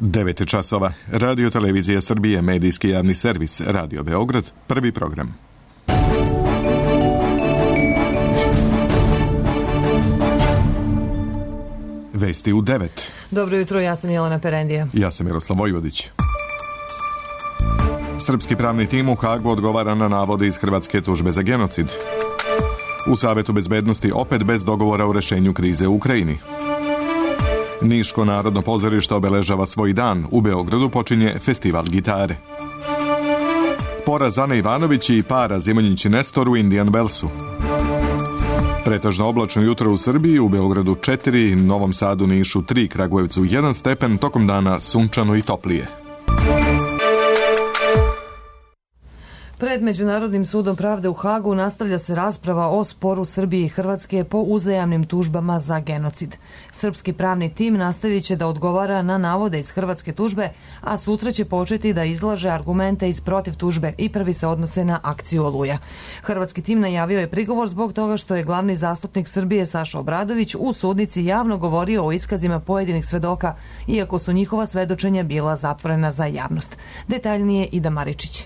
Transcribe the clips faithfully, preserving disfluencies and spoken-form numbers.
devet časova. Radio Televizija Srbije, medijski javni servis, Radio Beograd, prvi program. Vesti u devet. Dobro jutro, ja sam Jelena Perendija. Ja sam Miroslav Vojvodić. Srpski pravni tim u Hagu odgovara na navode iz hrvatske tužbe za genocid. U Savetu bezbednosti opet bez dogovora o rešenju krize u Ukrajini. Niško narodno pozorište obeležava svoj dan. U Beogradu počinje festival gitare. Poraz Ane Ivanović i para Zimonjić i Nestor u Indian Wellsu. Pretežno oblačno jutro u Srbiji, u Beogradu četiri, Novom Sadu, Nišu tri, Kragujevcu jedan stepen, tokom dana sunčano i toplije. Pred Međunarodnim sudom pravde u Hagu nastavlja se rasprava o sporu Srbije i Hrvatske po uzajamnim tužbama za genocid. Srpski pravni tim nastavit će da odgovara na navode iz hrvatske tužbe, a sutra će početi da izlaže argumente iz protiv tužbe i prvi se odnose na akciju Oluja. Hrvatski tim najavio je prigovor zbog toga što je glavni zastupnik Srbije Saša Obradović u sudnici javno govorio o iskazima pojedinih svedoka, iako su njihova svedočenja bila zatvorena za javnost. Detaljnije Ida Maričić.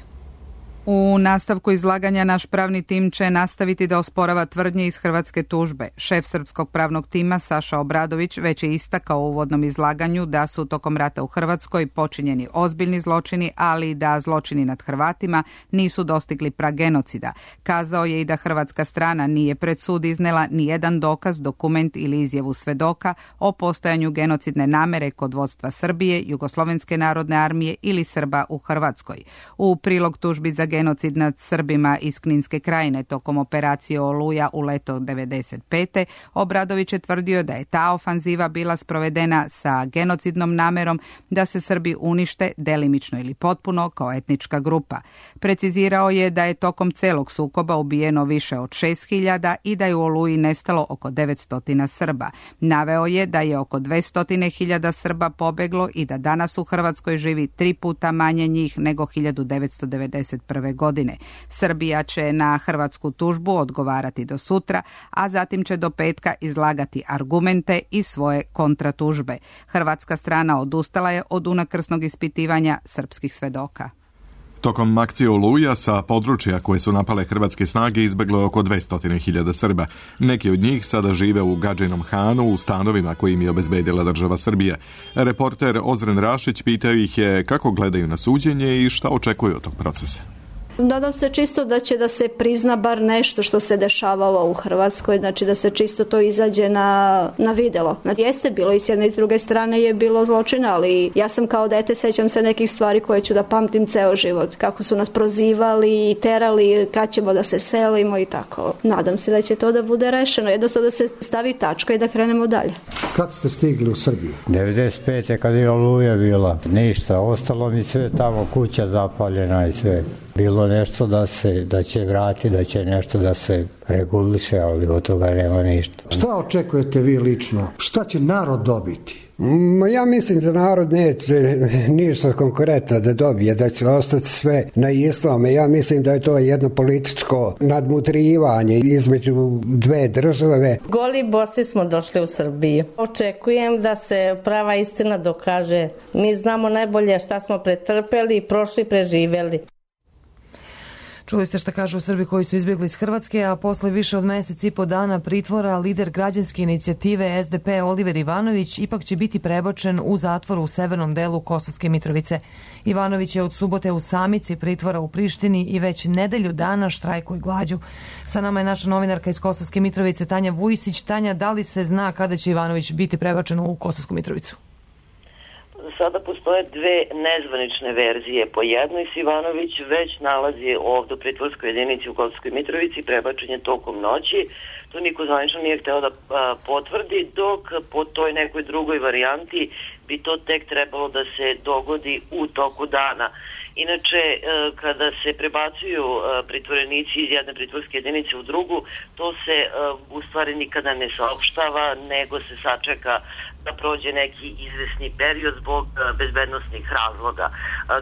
U nastavku izlaganja naš pravni tim će nastaviti da osporava tvrdnje iz hrvatske tužbe. Šef srpskog pravnog tima Saša Obradović već je istakao u uvodnom izlaganju da su tokom rata u Hrvatskoj počinjeni ozbiljni zločini, ali da zločini nad Hrvatima nisu dostigli prag genocida. Kazao je i da hrvatska strana nije pred sud iznela ni jedan dokaz, dokument ili izjavu svedoka o postojanju genocidne namere kod vodstva Srbije, Jugoslovenske narodne armije ili Srba u Hrvatskoj. U prilog tužbi za genocid nad Srbima iz Kninske krajine tokom operacije Oluja u leto devedeset pete. Obradović je tvrdio da je ta ofanziva bila sprovedena sa genocidnom namerom da se Srbi unište delimično ili potpuno kao etnička grupa. Precizirao je da je tokom celog sukoba ubijeno više od šest hiljada i da je u Oluji nestalo oko devetsto Srba. Naveo je da je oko dvesta hiljada Srba pobeglo i da danas u Hrvatskoj živi tri puta manje njih nego hiljadu devetsto devedeset prve godine. Srbija će na hrvatsku tužbu odgovarati do sutra, a zatim će do petka izlagati argumente i svoje kontratužbe. Hrvatska strana odustala je od unakrsnog ispitivanja srpskih svedoka. Tokom akcije Oluja sa područja koje su napale hrvatske snage izbeglo je oko dvesta hiljada Srba. Neki od njih sada žive u Gadžinom Hanu u stanovima koje im je obezbedila država Srbija. Reporter Ozren Rašić pitao ih je kako gledaju na suđenje i šta očekuju od tog procesa. Nadam se čisto da će da se prizna bar nešto što se dešavalo u Hrvatskoj, znači da se čisto to izađe na, na videlo. Znači, jeste bilo i s jedne i s druge strane je bilo zločina, ali ja sam kao dete sećam se nekih stvari koje ću da pamtim ceo život. Kako su nas prozivali i terali, kad ćemo da se selimo i tako. Nadam se da će to da bude rešeno, jednostavno da se stavi tačka i da krenemo dalje. Kad ste stigli u Srbiju? devedeset pete kad je Oluja bila. Ništa, ostalo mi sve tamo, kuća zapaljena i sve. Bilo nešto da se da će vrati, da će nešto da se reguliše, ali od toga nema ništa. Šta očekujete vi lično? Šta će narod dobiti? Ma ja mislim da narod neće ništa konkretno da dobije, da će ostati sve na istome. Ja mislim da je to jedno političko nadmutrivanje između dve države. Goli bosi smo došli u Srbiju. Očekujem da se prava istina dokaže. Mi znamo najbolje šta smo pretrpeli, prošli, preživeli. Čuli ste šta kažu Srbi koji su izbjegli iz Hrvatske, a posle više od mesec i po dana pritvora lider građanske inicijative es de pe Oliver Ivanović ipak će biti prebačen u zatvor u severnom delu Kosovske Mitrovice. Ivanović je od subote u samici pritvora u Prištini i već nedelju dana štrajkuje glađu. Sa nama je naša novinarka iz Kosovske Mitrovice Tanja Vujsić. Tanja, da li se zna kada će Ivanović biti prebačen u Kosovsku Mitrovicu? Sada postoje dve nezvanične verzije. Po jednoj se Ivanović već nalazi ovdje u pritvorskoj jedinici u Kosovskoj Mitrovici, prebačen je tokom noći. To niko zvanično nije hteo da a, potvrdi, dok po toj nekoj drugoj varijanti bi to tek trebalo da se dogodi u toku dana. Inače, kada se prebacuju pritvorenici iz jedne pritvorske jedinice u drugu, to se u stvari nikada ne saopštava, nego se sačeka da prođe neki izvesni period zbog bezbednosnih razloga.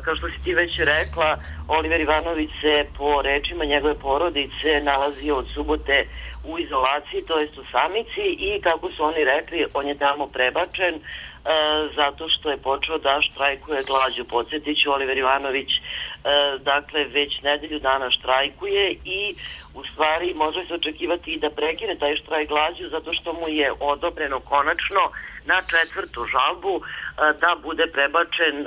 Kao što si ti već rekla, Oliver Ivanović se po rečima njegove porodice nalazio od subote u izolaciji, to jest u samici, i kako su oni rekli, on je tamo prebačen zato što je počeo da štrajkuje glađu. Podsjetiću, Oliver Ivanović dakle već nedelju dana štrajkuje i u stvari može se očekivati i da prekine taj štrajk glađu zato što mu je odobreno konačno na četvrtu žalbu da bude prebačen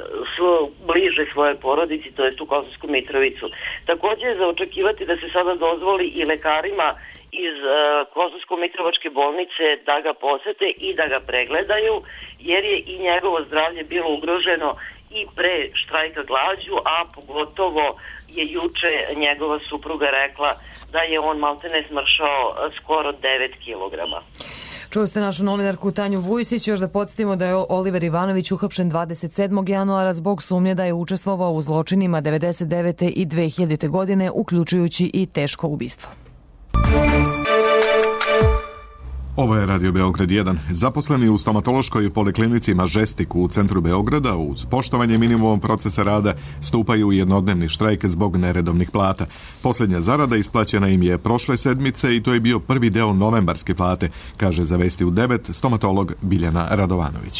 bliže svoje porodici, to jest u Kosovsku Mitrovicu. Također je za očekivati da se sada dozvoli i lekarima iz Kosovsko-Mitrovačke bolnice da ga posete i da ga pregledaju, jer je i njegovo zdravlje bilo ugroženo i pre štrajka glađu, a pogotovo je juče njegova supruga rekla da je on maltene smršao skoro devet kilograma. Čuli ste našu novinarku Tanju Vujsić. Još da podsjetimo da je Oliver Ivanović uhapšen dvadeset sedmog januara zbog sumnje da je učestvovao u zločinima devedeset devete i dve hiljadite. godine, uključujući i teško ubistvo. Ovo je Radio Beograd jedan. Zaposleni u stomatološkoj poliklinici Mažestik u centru Beograda uz poštovanje minimum procesa rada stupaju u jednodnevni štrajk zbog neredovnih plata. Posljednja zarada isplaćena im je prošle sedmice i to je bio prvi deo novembarske plate, kaže za Vesti u devet stomatolog Biljana Radovanović.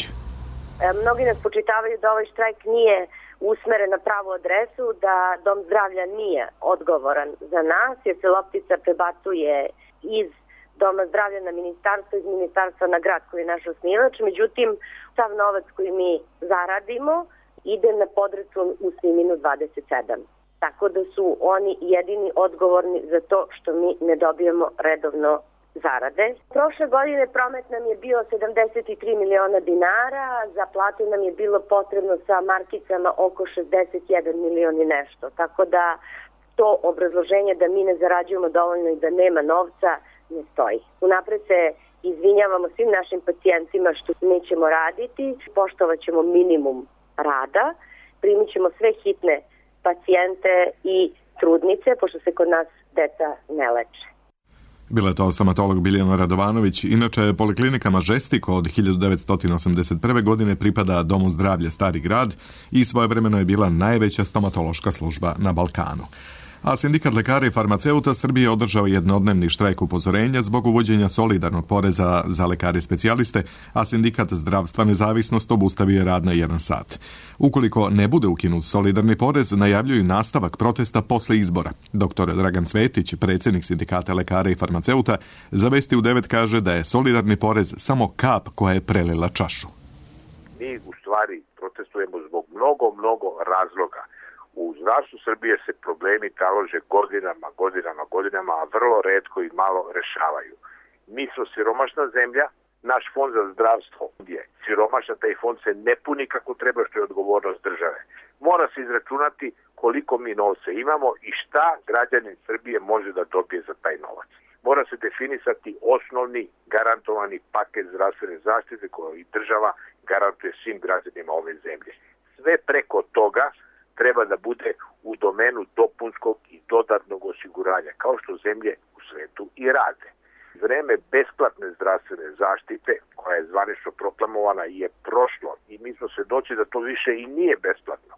Mnogi nas počitavaju da ovaj štrajk nije usmeren na pravu adresu, da Dom zdravlja nije odgovoran za nas, jer se loptica prebacuje iz Doma zdravlja na ministarstvo, iz ministarstva na grad koji je naš osnivač. Međutim, sav novac koji mi zaradimo ide na podračun u Sniminu dvadeset sedam. Tako da su oni jedini odgovorni za to što mi ne dobijemo redovno zarade. Prošle godine promet nam je bio sedamdeset tri miliona dinara, za plate nam je bilo potrebno sa markicama oko šezdeset jedan milion i nešto. Tako da to obrazloženje da mi ne zarađujemo dovoljno i da nema novca ne stoji. Unapred se izvinjavamo svim našim pacijentima što nećemo raditi, poštovat ćemo minimum rada, primit ćemo sve hitne pacijente i trudnice, pošto se kod nas deca ne leče. Bila je to stomatolog Biljana Radovanović. Inače, poliklinika Mažestik od hiljadu devetsto osamdeset prve. godine pripada Domu zdravlja Stari grad i svojevremeno je bila najveća stomatološka služba na Balkanu. A sindikat lekara i farmaceuta Srbije održao jednodnevni štrajk upozorenja zbog uvođenja solidarnog poreza za lekare specijaliste, a sindikat Zdravstva nezavisnost obustavio je rad na jedan sat. Ukoliko ne bude ukinut solidarni porez, najavljuju nastavak protesta posle izbora. Doktor Dragan Cvetić, predsjednik sindikata lekara i farmaceuta, za Vesti u devet kaže da je solidarni porez samo kap koja je prelila čašu. Mi u stvari protestujemo zbog mnogo, mnogo razloga. U zdravstvu Srbije se problemi talože godinama, godinama, godinama, a vrlo retko i malo rešavaju. Mi smo siromašna zemlja, naš fond za zdravstvo je siromašan, taj fond se ne puni kako treba, što je odgovornost države. Mora se izračunati koliko mi novca imamo i šta građanin Srbije može da dobije za taj novac. Mora se definisati osnovni garantovani paket zdravstvene zaštite koju i država garantuje svim građanima ove zemlje. Sve preko toga treba da bude u domenu dopunskog i dodatnog osiguranja, kao što zemlje u svetu i rade. Vreme besplatne zdravstvene zaštite, koja je zvanično proklamovana, je prošlo i mi smo svedoci da to više i nije besplatno.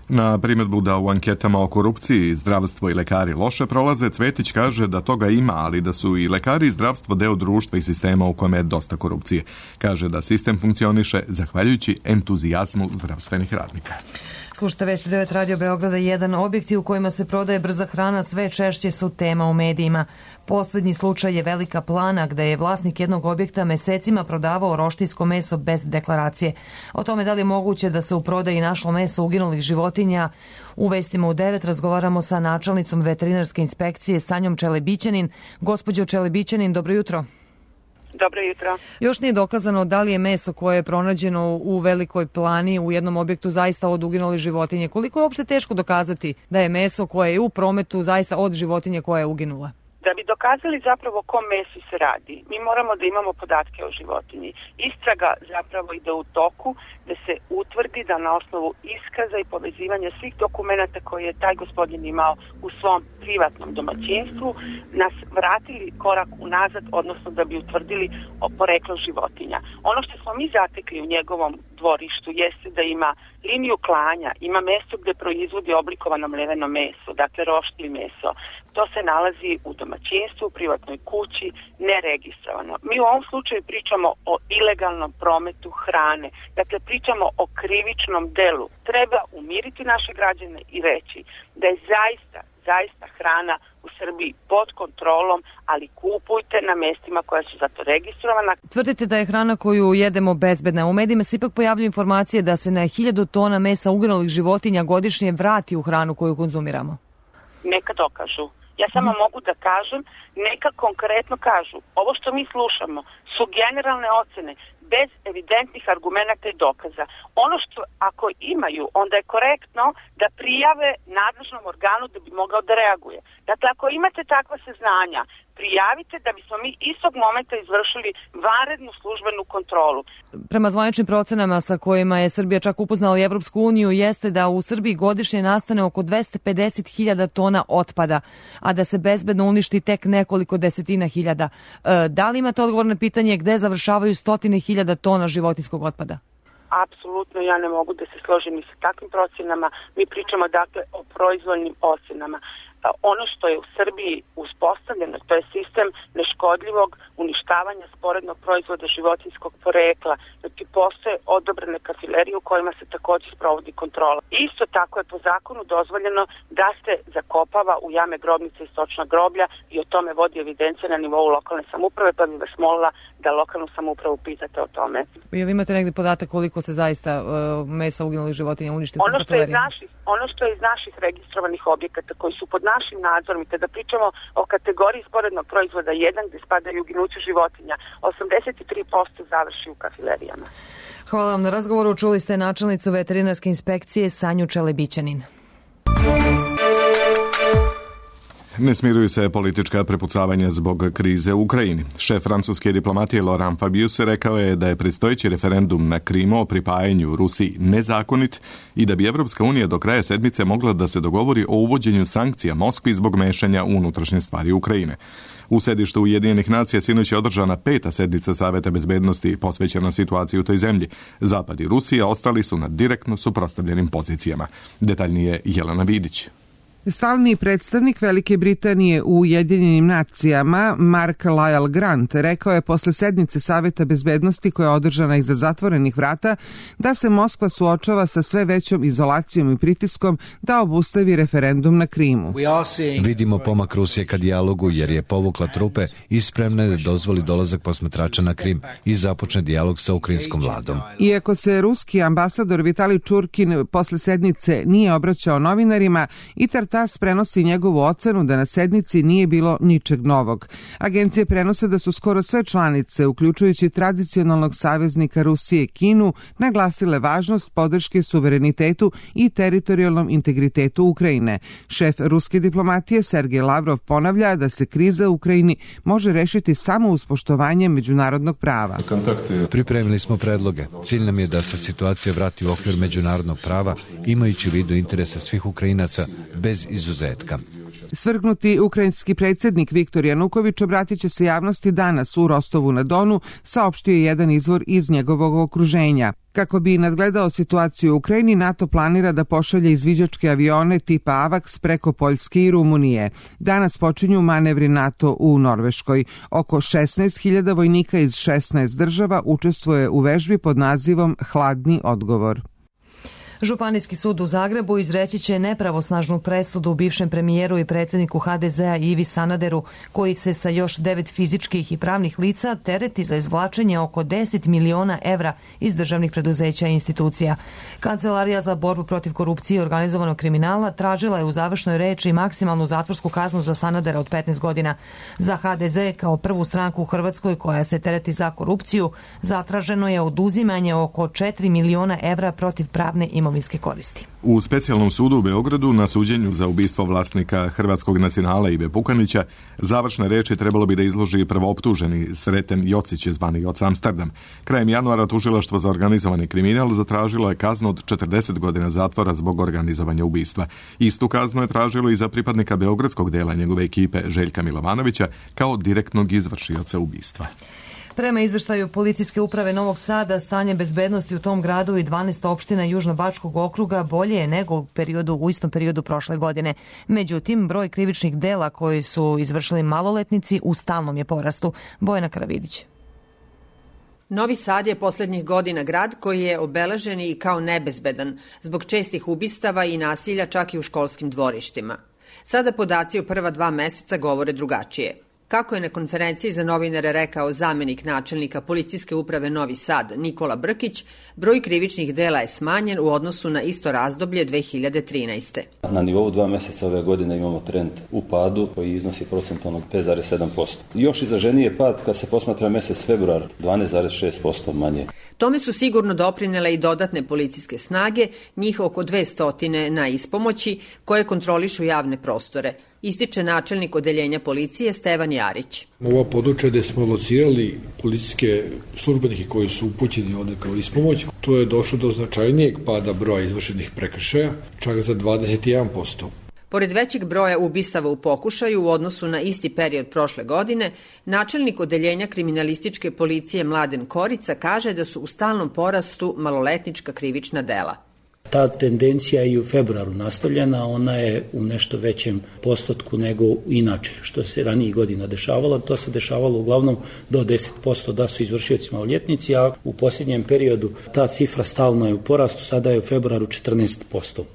Na primjedbu da u anketama o korupciji zdravstvo i lekari loše prolaze, Cvetić kaže da toga ima, ali da su i lekari i zdravstvo deo društva i sistema u kome je dosta korupcije. Kaže da sistem funkcioniše zahvaljujući entuzijazmu zdravstvenih radnika. Slušajte Vesti devet Radio Beograda jedan. Objekti u kojima se prodaje brza hrana sve češće su tema u medijima. Posljednji slučaj je Velika Plana, gde je vlasnik jednog objekta mesecima prodavao roštiljsko meso bez deklaracije. O tome da li je moguće da se u prodaji našlo meso uginulih životinja, u Vestima u devet razgovaramo sa načelnicom veterinarske inspekcije Sanjom Čelebićanin. Gospođo Čelebićanin, dobro jutro. Dobro jutro. Još nije dokazano da li je meso koje je pronađeno u Velikoj Plani u jednom objektu zaista od uginulih životinje. Koliko je uopšte teško dokazati da je meso koje je u prometu zaista od životinje koja je uginula? Da bi dokazali zapravo o kom mesu se radi, mi moramo da imamo podatke o životinji. Istraga zapravo ide u toku da se utvrdi da na osnovu iskaza i povezivanja svih dokumenata koje je taj gospodin imao u svom privatnom domaćinstvu nas vratili korak unazad, odnosno da bi utvrdili o poreklo životinja. Ono što smo mi zatekli u njegovom dvorištu jeste da ima liniju klanja, ima mesto gde proizvodi oblikovano mleveno meso, dakle roštilj meso. To se nalazi u domaćinstvu domaćinstvu, u privatnoj kući, neregistrovano. Mi u ovom slučaju pričamo o ilegalnom prometu hrane. Dakle, pričamo o krivičnom delu. Treba umiriti naše građane i reći da je zaista, zaista hrana u Srbiji pod kontrolom, ali kupujte na mestima koja su za to registrovana. Tvrdite da je hrana koju jedemo bezbedna. U medijima se ipak pojavljaju informacije da se na hiljadu tona mesa uginulih životinja godišnje vrati u hranu koju konzumiramo. Neka dokažu. Ja samo mm. mogu da kažem, neka konkretno kažu. Ovo što mi slušamo su generalne ocene, bez evidentnih argumenata i dokaza. Ono što ako imaju, onda je korektno da prijave nadležnom organu da bi mogao da reaguje. Dakle, ako imate takva saznanja, prijavite da bismo mi istog momenta izvršili vanrednu službenu kontrolu. Prema zvaničnim procenama sa kojima je Srbija čak upoznala i Evropsku uniju jeste da u Srbiji godišnje nastane oko dvesta pedeset hiljada tona otpada, a da se bezbedno uništi tek nekoliko desetina hiljada. Da li imate odgovor na pitanje gde završavaju stotine hiljada tona životinjskog otpada? Apsolutno ja ne mogu da se složim ni sa takvim procenama. Mi pričamo dakle o proizvoljnim ocenama. Ono što je u Srbiji uspostavljeno, to je sistem neškodljivog uništavanja sporednog proizvoda životinjskog porekla. Znači, postoje odobrene kafilerije u kojima se također sprovodi kontrola. Isto tako je po zakonu dozvoljeno da se zakopava u jame grobnice i stočna groblja i o tome vodi evidencija na nivou lokalne samouprave, pa bih vas molila da lokalnu samoupravu pitate o tome. Jel imate negdje podatak koliko se zaista uh, mesa uginulih životinja uništi u ono što, je naših, ono što je iz naših registrovanih objekata koji su pod našim nadzorom i kada pričamo o kategoriji sporednog proizvoda jedan gdje spadaju uginuće životinja, osamdeset tri posto završi u kafilerijama. Hvala vam na razgovoru. Čuli ste načelnicu veterinarske inspekcije Sanju Čelebićanin. Ne smiruju se politička prepucavanja zbog krize u Ukrajini. Šef francuske diplomatije Laurent Fabius rekao je da je predstojeći referendum na Krimu o pripajanju Rusiji nezakonit i da bi Evropska unija do kraja sedmice mogla da se dogovori o uvođenju sankcija Moskvi zbog mešanja u unutrašnje stvari Ukrajine. U sedištu Ujedinjenih nacija sinoć je održana peta sednica Saveta bezbednosti posvećena situaciji u toj zemlji. Zapad i Rusija ostali su na direktno suprotstavljenim pozicijama. Detaljnije Jelena Vidić. Stalni predstavnik Velike Britanije u Ujedinjenim nacijama Mark Lyle Grant rekao je posle sednice Saveta bezbednosti koja je održana iza zatvorenih vrata da se Moskva suočava sa sve većom izolacijom i pritiskom da obustavi referendum na Krimu. Vidimo pomak Rusije ka dijalogu jer je povukla trupe i spremna je da dozvoli dolazak posmatrača na Krim i započne dijalog sa ukrajinskom vladom. Iako se ruski ambasador Vitali Čurkin posle sednice nije obraćao novinarima, i TASS prenosi njegovu ocenu da na sednici nije bilo ničeg novog. Agencije prenose da su skoro sve članice, uključujući tradicionalnog saveznika Rusije Kinu, naglasile važnost podrške suverenitetu i teritorijalnom integritetu Ukrajine. Šef ruske diplomatije Sergej Lavrov ponavlja da se kriza u Ukrajini može rešiti samo uz poštovanje međunarodnog prava. Pripremili smo predloge. Cilj nam je da se situacija vrati u okvir međunarodnog prava, imajući u vidu interese svih Ukrajinaca bez izuzetka. Svrgnuti ukrajinski predsjednik Viktor Januković obratit će se javnosti danas u Rostovu na Donu, saopštio je jedan izvor iz njegovog okruženja. Kako bi nadgledao situaciju u Ukrajini, NATO planira da pošalje izviđačke avione tipa AVAX preko Poljske i Rumunije. Danas počinju manevri NATO u Norveškoj. Oko šesnaest hiljada vojnika iz šesnaest država učestvuje u vežbi pod nazivom Hladni odgovor. Županijski sud u Zagrebu izreći će nepravosnažnu presudu bivšem premijeru i predsjedniku ha de zea Ivi Sanaderu, koji se sa još devet fizičkih i pravnih lica tereti za izvlačenje oko deset miliona evra iz državnih preduzeća i institucija. Kancelarija za borbu protiv korupcije i organizovanog kriminala tražila je u završnoj reči maksimalnu zatvorsku kaznu za Sanadera od petnaest godina. Za ha de ze kao prvu stranku u Hrvatskoj koja se tereti za korupciju zatraženo je oduzimanje oko četiri miliona evra protiv pravne imovinske koristi. U specijalnom sudu u Beogradu na suđenju za ubistvo vlasnika Hrvatskog nacionala Ive Pukanića završne reči trebalo bi da izloži prvooptuženi Sreten Jocić zvani Joca Amsterdam. Krajem januara tužilaštvo za organizovani kriminal zatražilo je kaznu od četrdeset godina zatvora zbog organizovanja ubistva. Istu kaznu je tražilo i za pripadnika beogradskog dela njegove ekipe Željka Milovanovića kao direktnog izvršioca ubistva. Prema izveštaju Policijske uprave Novog Sada, stanje bezbednosti u tom gradu i dvanaest opština Južnobačkog okruga bolje je nego u, periodu, u istom periodu prošle godine. Međutim, broj krivičnih dela koji su izvršili maloletnici u stalnom je porastu. Bojana Karavidić. Novi Sad je poslednjih godina grad koji je obeležen i kao nebezbedan zbog čestih ubistava i nasilja čak i u školskim dvorištima. Sada podaci u prva dva meseca govore drugačije. Kako je na konferenciji za novinare rekao zamenik načelnika Policijske uprave Novi Sad Nikola Brkić, broj krivičnih dela je smanjen u odnosu na isto razdoblje dve hiljade trinaeste. Na nivou dva meseca ove godine imamo trend u padu koji iznosi procentualno pet zarez sedam posto. Još izraženiji je pad kad se posmatra mesec februar, dvanaest zarez šest posto manje. Tome su sigurno doprinele i dodatne policijske snage, njih oko dvesta na ispomoći, koje kontrolišu javne prostore, ističe načelnik odeljenja policije Stevan Jarić. Ova područja gde smo locirali policijske službenike koji su upućeni ovde kao ispomoć, to je došlo do značajnijeg pada broja izvršenih prekršaja, čak za dvadeset jedan posto. Pored većeg broja ubistava u pokušaju u odnosu na isti period prošle godine, načelnik odeljenja kriminalističke policije Mladen Korica kaže da su u stalnom porastu maloletnička krivična dela. Ta tendencija je i u februaru nastavljena, ona je u nešto većem postotku nego inače, što se ranijih godina dešavalo. To se dešavalo uglavnom do deset posto da su izvršioci maloljetnici, a u posljednjem periodu ta cifra stalno je u porastu, sada je u februaru četrnaest posto.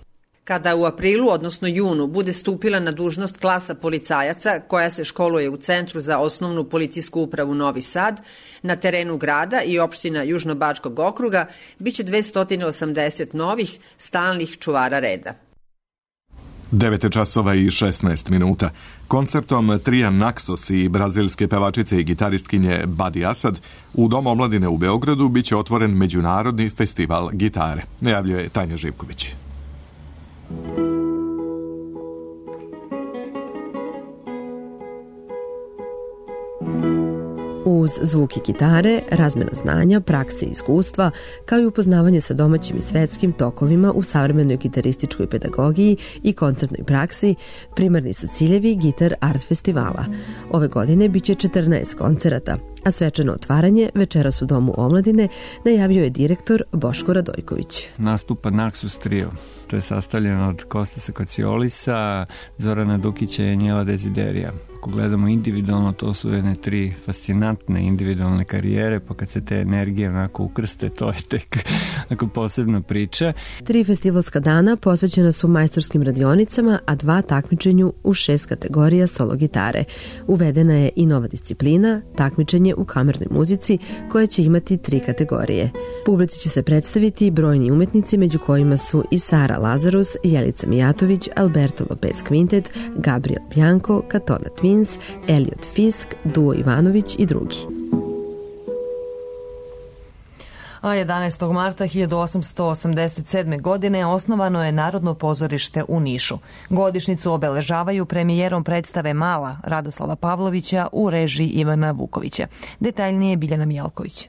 Kada u aprilu, odnosno junu, bude stupila na dužnost klasa policajaca koja se školuje u Centru za osnovnu policijsku upravu Novi Sad, na terenu grada i opština Južnobačkog okruga biće dvesta osamdeset novih stalnih čuvara reda. devet časova i šesnaest minuta. Koncertom trija Naxos i brazilske pevačice i gitaristkinje Badi Asad u Domu omladine u Beogradu biće otvoren Međunarodni festival gitare, najavljuje Tanja Živković. Uz zvuki gitare, razmena znanja, prakse i iskustva, kao i upoznavanje sa domaćim i svetskim tokovima u savremenoj gitarističkoj pedagogiji i koncertnoj praksi, primarni su ciljevi Gitar Art Festivala. Ove godine biće četrnaest koncerata, a svečano otvaranje večeras u Domu omladine najavio je direktor Boško Radojković. Nastupa Naxos trio. To je sastavljeno od Kostasa Kociolisa, Zorana Dukića i Anjela Desiderija. Ako gledamo individualno, to su jedne tri fascinantne individualne karijere, pa kad se te energije onako ukrste, to je tek onako posebna priča. Tri festivalska dana posvećena su majstorskim radionicama, a dva takmičenju u šest kategorija solo gitare. Uvedena je i nova disciplina, takmičenje u kamernoj muzici, koja će imati tri kategorije. Publici će se predstaviti brojni umetnici, među kojima su i Sara Lazarus, Jelica Mijatović, Alberto Lopez Quintet, Gabriel Bianco, Katona Twins, Elliot Fisk, Duo Ivanović i drugi. A jedanaestog marta hiljadu osamsto osamdeset sedme. godine osnovano je Narodno pozorište u Nišu. Godišnjicu obeležavaju premijerom predstave Mala Radoslava Pavlovića u režiji Ivana Vukovića. Detaljnije Biljana Mijalković.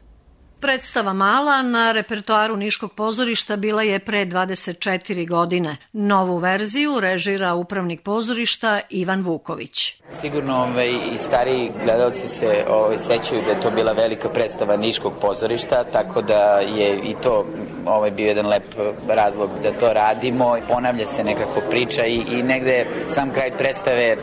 Predstava Mala na repertoaru Niškog pozorišta bila je pre dvadeset četiri godine. Novu verziju režira upravnik pozorišta Ivan Vuković. Sigurno ovaj, i stariji gledalci se ovaj, sećaju da je to bila velika predstava Niškog pozorišta, tako da je i to ovaj, bio jedan lep razlog da to radimo. Ponavlja se nekako priča i, i negde sam kraj predstave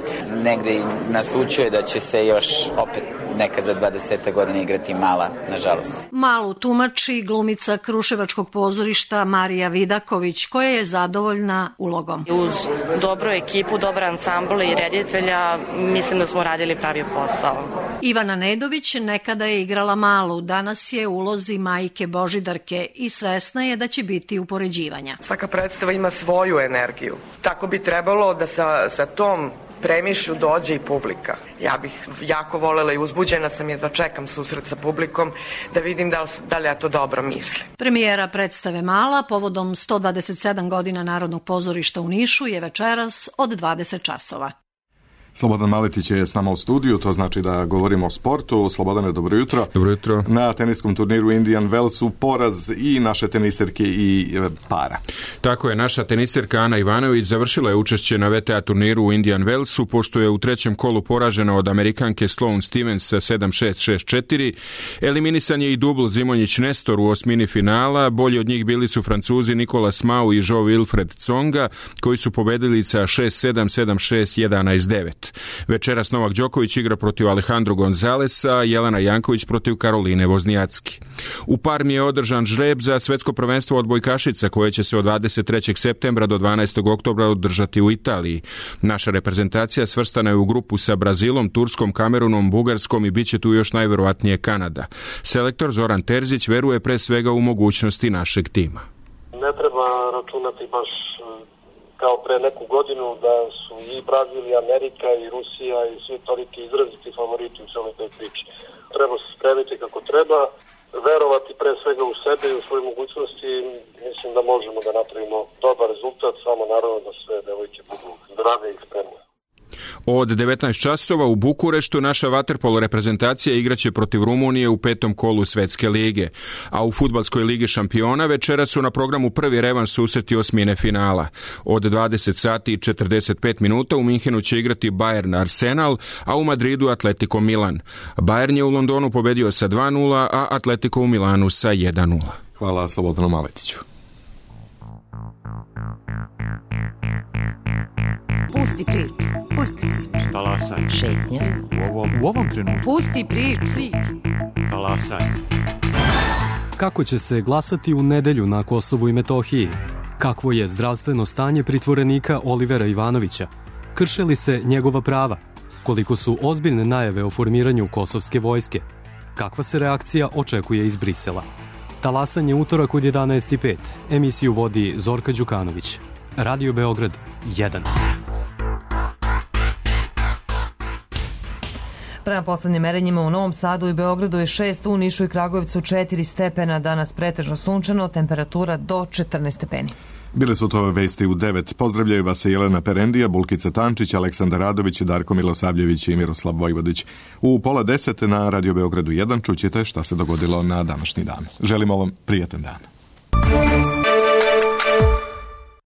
negde naslučuje da će se još opet nekad za dvadeset godina igrati Mala, nažalost. Malu tumači glumica Kruševačkog pozorišta Marija Vidaković, koja je zadovoljna ulogom. Uz dobru ekipu, dobar ansambl i reditelja, mislim da smo radili pravi posao. Ivana Nedović nekada je igrala Malu, danas je u ulozi majke Božidarke i svesna je da će biti upoređivanja. Svaka predstava ima svoju energiju. Tako bi trebalo da sa, sa tom premišlju dođe i publika. Ja bih jako volela i uzbuđena sam jer da čekam susret sa publikom da vidim da li, da li ja to dobro mislim. Premijera predstave Mala povodom sto dvadeset sedam godina Narodnog pozorišta u Nišu je večeras od dvadeset časova. Slobodan Maletić je s nama u studiju, to znači da govorimo o sportu. Slobodane, dobro jutro. Dobro jutro. Na teniskom turniru Indian Wellsu poraz i naše teniserke i para. Tako je, naša teniserka Ana Ivanović završila je učešće na V T A turniru u Indian Wellsu, pošto je u trećem kolu poražena od Amerikanke Sloane Stevens sa sedam šest šest četiri. Eliminisan je i dubl Zimonjić Nestor u osmini finala. Bolji od njih bili su Francuzi Nicolas Mau i Jo Wilfred Tsonga, koji su pobedili sa šest sedam, sedam šest, jedanaest devet. Večeras Novak Đoković igra protiv Alejandro Gonzalesa, Jelena Janković protiv Karoline Voznjacki. U Parmi je održan žreb za svetsko prvenstvo odbojkašica koje će se od dvadeset trećeg septembra do dvanaestog oktobra održati u Italiji. Naša reprezentacija svrstana je u grupu sa Brazilom, Turskom, Kamerunom, Bugarskom i bit će tu još najverovatnije Kanada. Selektor Zoran Terzić veruje pre svega u mogućnosti našeg tima. Ne treba računati baš kao pre neku godinu da su i Brazil i Amerika i Rusija i svi toliki izraziti favoriti u celoj toj priči. Treba se spremiti kako treba, verovati pre svega u sebe i u svoje mogućnosti. Mislim da možemo da napravimo dobar rezultat, samo naravno da sve devojke budu zdrave i spremne. Od devetnaest časova u Bukureštu naša vaterpolo reprezentacija igraće protiv Rumunije u petom kolu Svetske lige, a u fudbalskoj ligi šampiona večera su na programu prvi revanš susreti osmine finala. Od dvadeset sati i četrdeset pet minuta u Minhenu će igrati Bayern Arsenal, a u Madridu Atletico Milan. Bayern je u Londonu pobedio sa dva nula, a Atletico u Milanu sa jedan nula. Hvala Slobodanu Maletiću. Pusti priču, pusti priču. Talasaj. Šetnja. U ovom, u ovom trenutku. Pusti priču. Talasaj. Kako će se glasati u nedelju na Kosovu i Metohiji? Kakvo je zdravstveno stanje pritvorenika Olivera Ivanovića? Krše li se njegova prava? Koliko su ozbiljne najave o formiranju kosovske vojske? Kakva se reakcija očekuje iz Brisela? Talasanje utorak od jedanaest i pet. Emisiju vodi Zorka Đukanović. Radio Beograd jedan. Prema poslednjim merenjima u Novom Sadu i Beogradu je šest, u Nišu i Kragujevcu četiri stepena, danas pretežno sunčano, temperatura do četrnaest stepeni. Bile su to vesti u devet. Pozdravljaju vas Jelena Perendija, Bulkica Tančić, Aleksandar Radović, Darko Milosavljević i Miroslav Vojvodić. U pola deset na Radio Beogradu jedan čućete šta se dogodilo na današnji dan. Želimo vam prijatan dan.